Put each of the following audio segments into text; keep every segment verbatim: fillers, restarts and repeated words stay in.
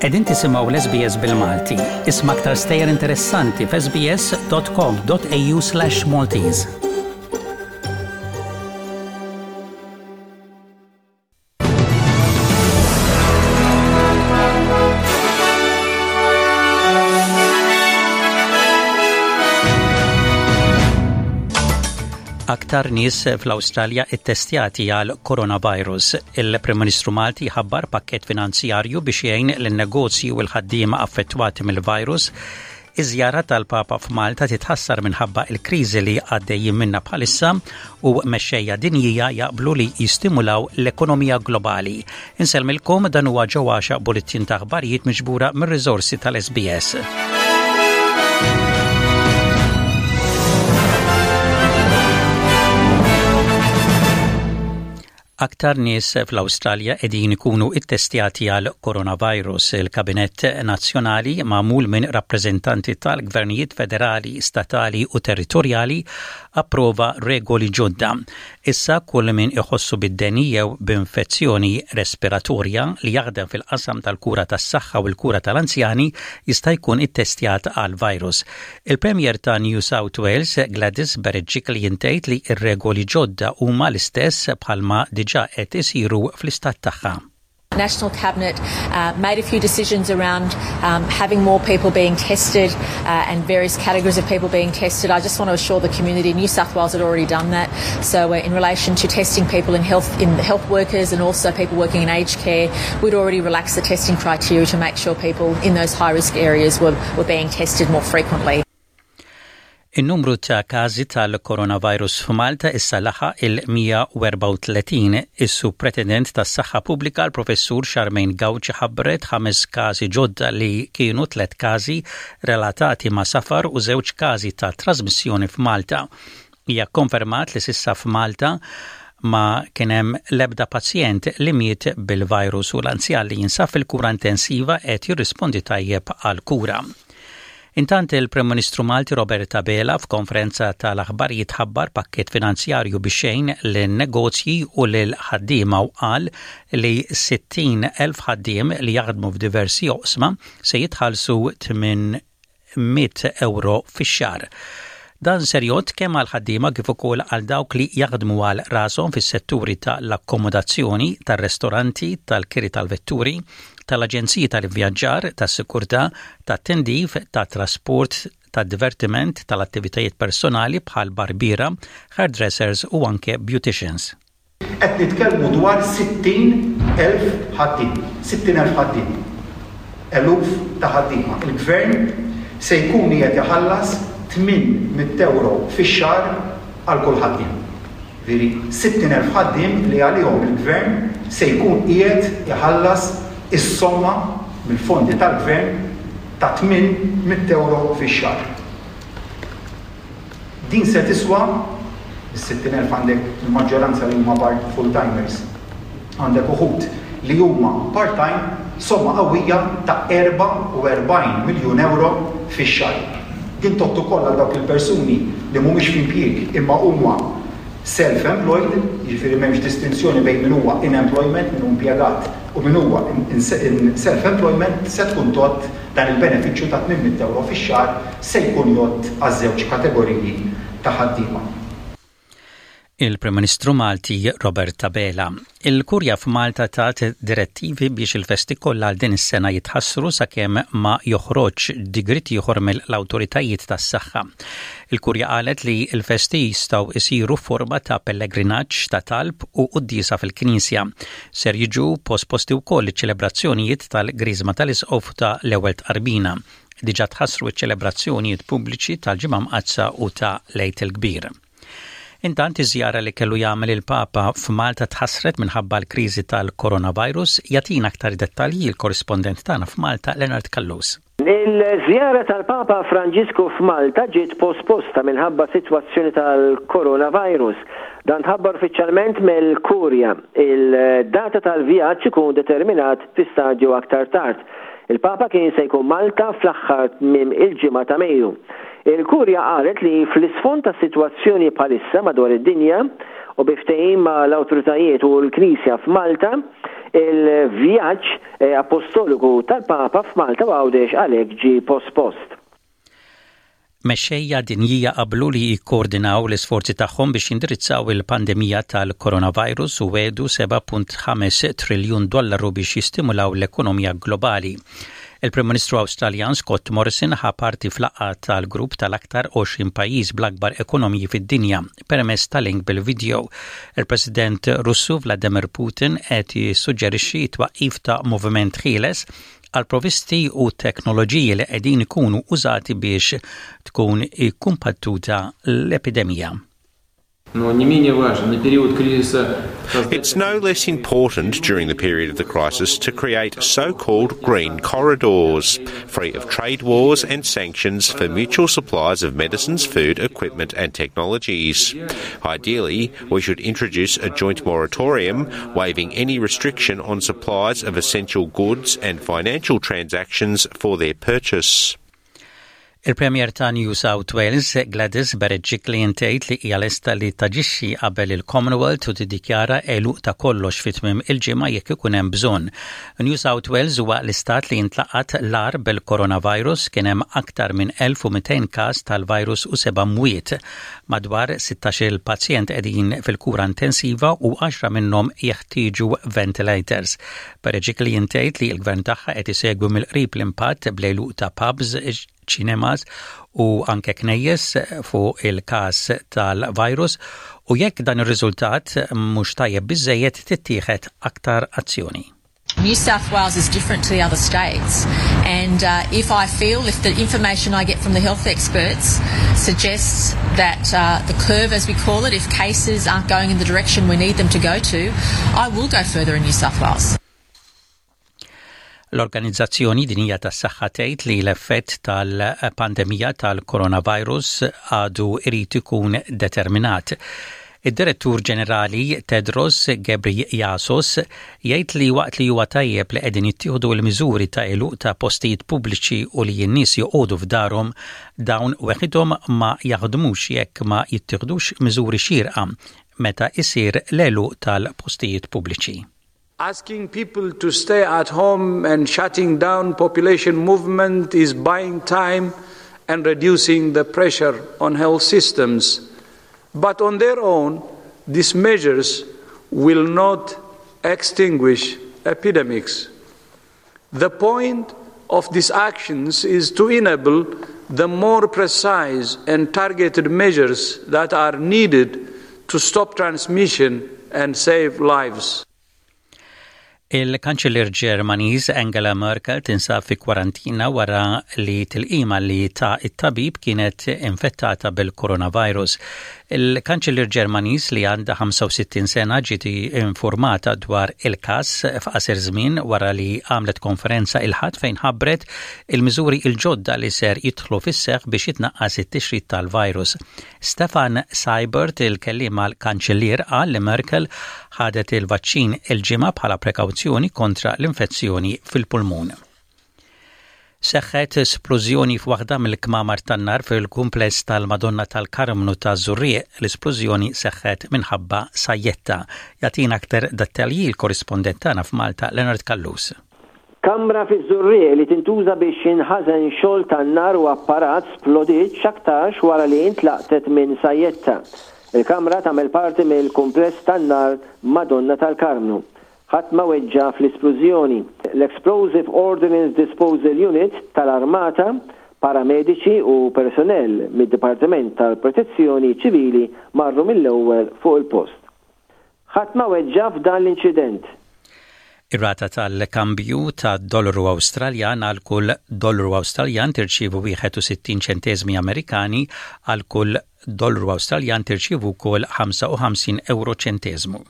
Qegħdin tisimgħu l-S B S bil-Malti. Isma' aktar stejjer interessanti f'S B S dot com dot A U slash Maltese. Aktar nies fl-Awstralja ittestjati għal coronavirus. Il-Prim Ministru Malti ħabbar pakket finanzjarju biex jgħin lin-negozji u l-ħaddiema affettwati mill-virus. Iż-żjara tal-Papa f'Malta titħassar minħabba il-kriżi li għaddejjin minna bħalissa u mexxejja dinjija jaqblu li jistimulaw l-ekonomija globali. Insellmilkom, dan huwa ġewwaxa bulletin ta' aħbarijiet miġbura mir-riżorsi tal-S B S. Aktar nies fl-Awstralja qegħdin ikunu ittestjati għal coronavirus. Il-Kabinett Nazzjonali, magħmul minn rappreżentanti tal-gvernijiet federali, statali u territorjali, approva regoli ġodda. Issa kull min iħossu bid-deni jew b'infezzjoni respiratorja li jaħdem fil-qasam tal-kura tas-saħħa u l-kura tal-anzjani jista' jkun ittestjat għal virus. Il-Premier ta' New South Wales, Gladys Berejiklian, tgħid li r-regoli ġodda huma l-istess bħalma diġà qed isiru fl-istat tagħha. National Cabinet uh, made a few decisions around um, having more people being tested uh, and various categories of people being tested. I just want to assure the community New South Wales had already done that. So uh, in relation to testing people in health, in health workers and also people working in aged care, we'd already relaxed the testing criteria to make sure people in those high risk areas were, were being tested more frequently. In-numru ta' każi tal-coronavirus f'Malta issa laħaq il-mija u erbgħa u tletin. Is-Supretendent tas-Saħħa Pubblika, l-Professur Charmaine Gauci, ħabbret ħames każi ġodda li kienu tliet każi relatati ma' safar u żewġ każi ta' trasmissjoni f'Malta. Hija konfermat li s'issa f'Malta ma kien hemm l-ebda pazjent li miet bil-virus u l-anzjan li jinsab fil-kura intensiva qed jirrispondi tajjeb għal-kura. Intant, il-Prim Ministru Malti Robert Abela f'konferenza tal-aħbarijiet ħabbar pakket finanzjarju biex jgħin lin-negozji u lil ħaddiema u qal li sittin elf ħaddiem li jaħdmu f'diversi oqsma se jitħallsu tmien mitt euro fix-xahar. Dan ser jgħodd kemm għal ħaddiema kif ukoll għal dawk li jaħdmu għal rashom fis-setturi tal-akkomodazzjoni, tar-restoranti, tal-kiri tal-vetturi, tal-aġenziji tal-ivvjaġġar, tas-sikurtà, tat-tindif, tat-trasport, tad-divertiment, tal-attivitajiet personali bħal barbiera, hairdressers u anke beauticians. Qed nitkellmu dwar sittin elf ħaddiem, sittin elf ħaddiem. Eluf ta' ħaddiema. Il-gvern se jkun qiegħed iħallas tmien mitt euro fix-xahar għal kull ħaddiem. Veri sittin elf ħaddiem li għalihom il-gvern se jkun qiegħed iħallas is-somma mill-fondi tal-gvern ta' tmien mitt euro fix-xahar. Din se tiswa, is-sittin elf għandek il-maġġoranza li huma part full-timers. Għandek uħud li huma part-time, somma qawwija ta' erbgħa u erbgħin miljun euro fix-xahar. Din tgħodd ukoll għal dawk il-persuni li mhumiex f'impjieg imma huma self-employed, jiġifieri m'hemmx distinzjoni bejn min huwa in employment, min hu impjegat u min huwa in self-employment, se tkun tgħodd dan il-benefiċċju ta' tmien mitt euro fix-xahar se jkun jgħodd għaż-żewġ kategoriji ta' ħaddiema. Il-Prim Ministru Malti Robert Abela. Il-Kurja f'Malta tat direttivi biex il-festi kollha għal din is-sena jitħassru sakemm ma joħroġ digriet ieħor mill-awtoritajiet tas-saħħa. Il-Kurja qalet li l-festi jistgħu isiru forma ta' pellegrinaġġ, ta' talb u quddiesa fil-Knisja. Ser jiġu posposti wkoll iċ-ċelebrazzjonijiet tal-Griżma tal-Isqof, ta' l-Ewwel Tqarbina. Diġà tħassru ċ-ċelebrazzjonijiet pubbliċi tal-Ġimgħa Mqaddsa u ta' l-Għid il-Kbir. Intant, iż-żjara li kellu jagħmel il-Papa f'Malta tħassret minħabba l-kriżi tal-coronavirus. Jagħtina aktar dettalji il-korrispondent tagħna f'Malta, Leonard Callus. Il-żjara tal-Papa Franġisku f'Malta ġiet posposta minħabba sitwazzjoni tal-coronavirus. Dan tħabbar uffiċjalment mill-Kurja. Il-data tal-vjaġġ ikun determinat fi stadju aktar tard. Il-Papa kien se jkun Malta fl-aħħar tmiem il-ġimgħa ta' Mejju. Il-Kurja qalet li fl-isfond ta' situazzjoni bħalissa madwar id-dinja u bi ftehim ma' l-awtoritajiet u l-Knisja f'Malta, Il-vjaġġ eh, apostoliku tal-Papa f'Malta u Għawdex għalhekk ġie pospost. Mexxejja dinjija qablu li jikkoordinaw l-isforzi tagħhom biex jindirizzaw il-pandemija tal-coronavirus u wegħdu seba' punt ħames triljun dollaru biex jistimulaw l-ekonomija globali. Il-Prim Ministru Awstraljan Scott Morrison ħa parti f'laqgħa tal-grupp tal-aktar għoxrin pajjiż bl-akbar ekonomiji fid-dinja permezz ta' link bil-video. Il-President Russu Vladimir Putin qed jissuġġerixxi twaqqif ta' moviment ħieles għal provisti u teknoloġiji li qegħdin ikunu użati biex tkun ikkumbattuta l-epidemija. It's no less important during the period of the crisis to create so-called green corridors, free of trade wars and sanctions for mutual supplies of medicines, food, equipment and technologies. Ideally, we should introduce a joint moratorium waiving any restriction on supplies of essential goods and financial transactions for their purchase. Il-Premier ta' New South Wales, Gladys Berejiklian, tgħid li hija lesta li taġixxi qabel il-Commonwealth u tiddikjara għeluq ta' kollox fi tmiem il-ġimgħa jekk ikun hemm bżonn. New South Wales huwa l-istat li intlaqat l-agħar bil-coronavirus. Kien hemm aktar minn elf u mitejn każ tal-virus u seba' mwiet. Madwar sittax-il pazjent qegħdin fil-kura intensiva u għaxra minnhom jeħtieġu ventilators. Berejiklian tgħid li l-gvern tagħha qed isegwi mill-qrib l-impatt bl-għeluq ta' pubs, cinemas u anke knejjes fuq il-każ tal-virus u jekk dan ir-riżultat mhux tajjeb biżejjed, tittieħed aktar azzjoni. New South Wales is different to the other states, and uh, if I feel, if the information I get from the health experts suggests that uh, the curve, as we call it, if cases aren't going in the direction we need them to go to, I will go further in New South Wales. L-Organizzazzjoni Dinjija tas-Saħħa tgħid li l-effett tal-pandemija tal-coronavirus għadu irid ikun determinat. Id-Direttur Ġenerali Tedros Ghebreyesus jgħid li waqt li huwa tajjeb li qegħdin jittieħdu l-miżuri ta' għeluq ta' postijiet pubbliċi u li n-nies joqogħdu f'darhom, dawn weħidhom ma jaħdmux jekk ma jittieħdux miżuri xierqa meta isir l-għeluq tal-postijiet pubbliċi. Asking people to stay at home and shutting down population movement is buying time and reducing the pressure on health systems. But on their own, these measures will not extinguish epidemics. The point of these actions is to enable the more precise and targeted measures that are needed to stop transmission and save lives. Il-Kanċellier Ġermaniż Angela Merkel tinsab fi kwarantina wara li tilqima li taha it-tabib kienet infettata bil-coronavirus. Il-Kanċellier Ġermaniż, li għandha ħamsa u sittin sena, ġiet informata dwar il-każ f'qasir żmien wara li għamlet konferenza il-Ħadd fejn ħabbret il-miżuri il-ġodda li ser jidħlu fis-seħħ biex jitnaqqas it-tixrid tal-virus. Stefan Seibert, il-kelliem għall-Kanċellier, qal li Merkel ħadet il-vaċċin il-Ġimgħa bħala prekawzjoni kontra l-infezzjoni fil-pulmun. Seħħet splużjoni f'waħda mill-kmamar tan-nar fil-kumpless tal-Madonna tal-Karmnu taż-Żurrieq. L-isplużjoni seħħet minħabba sajjetta. Jagħtina aktar dettalji l-korrispondent tagħna f'Malta, Leonard Callus. Kamra fiż-Żurrieq li tintuża biex jinħażen xogħol tan-nar u apparat splodiet x'aktarx wara li intlaqtet minn sajjetta. Il-kamra tagħmel parti mill-kumpless tan-nar Madonna tal-Karmnu. Ħadd ma weġġa fl-isplużjoni. L-Explosive Ordnance Disposal Unit tal-Armata, paramediċi u personnel mid-Dipartiment tal-Protezzjoni Ċivili marru mill-ewwel fuq il-post. Ħadd ma weġġa f'dan l-inċident. Ir-rata tal-kambju ta' dollaru Awstraljan: għal kull dollaru Awstraljan tirċievu wieħed u sittin ċentesmi Amerikani, għal kull dollaru Awstraljan tirċievu wkoll ħamsa u ħamsin euro ċentesmu.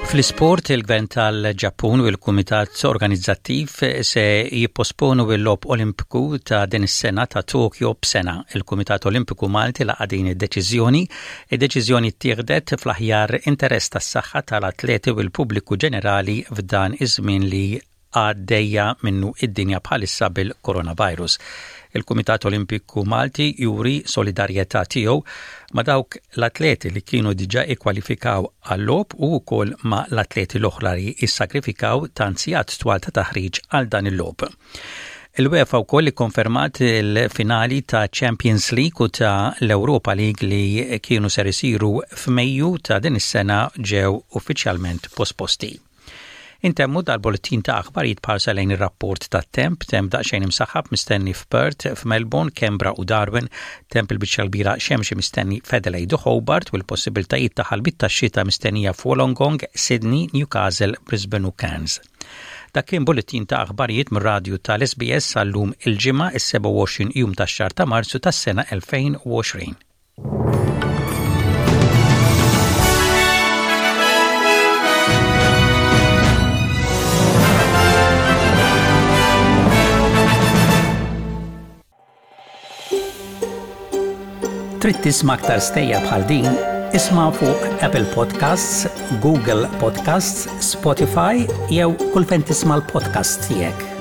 Fl-isport, il-Gvern tal-Ġappun u l-Kumitat Organizzattiv se jipposponu l-Logħob Olimpiku ta' din is-sena ta' Tokyo b'sena. Il-Kumitat Olimpiku Malti laqa' din id-deċiżjoni. Id-deċiżjoni ttieħdet fl-aħjar interess tas-saħħa tal-atleti u l-pubbliku ġenerali f'dan iż-żmien li għaddejja minnu id-dinja bħalissa bil-coronavirus. Il-Kumitat Olimpiku Malti juri solidarjetà tiegħu ma' dawk l-atleti li kienu diġà ikkwalifikaw għal-logħob u wkoll ma' l-atleti l-oħra li issagrifikaw tant sigħat twal ta' taħriġ għal dan il-logħob. Il-UEFA wkoll ikkonfermat il-finali ta' Champions League u ta' l-Europa League li kienu ser isiru f'Mejju ta' din is-sena ġew uffiċjalment posposti. Intemmu dal-bulletin ta' aħbarijiet b'ħarsa lejn ir-rapport ta' temp, temp daqsxejn imsaħħab mistenni f'Perth, f'Melbourne, Canberra u Darwin, temp il-biċċa kbira xemxi mistenni f'Adelaide u Hobart u l-possibiltajiet ta' ħalbit ta' xita mistennija f'Wollongong, Sydney, Newcastle, Brisbane u Cairns. Dak kien bulletin ta' aħbarijiet mir-radju tal-S B S għal-lum il-Ġimgħa is-sebgħa u għoxrin jum tax-xahar ta' Marzu tas-sena elfejn u għoxrin. Trid tisma' aktar stejjer bħal din? Isma' fuq Apple Podcasts, Google Podcasts, Spotify jew kull fejn tisma' l-podcast tiegħek.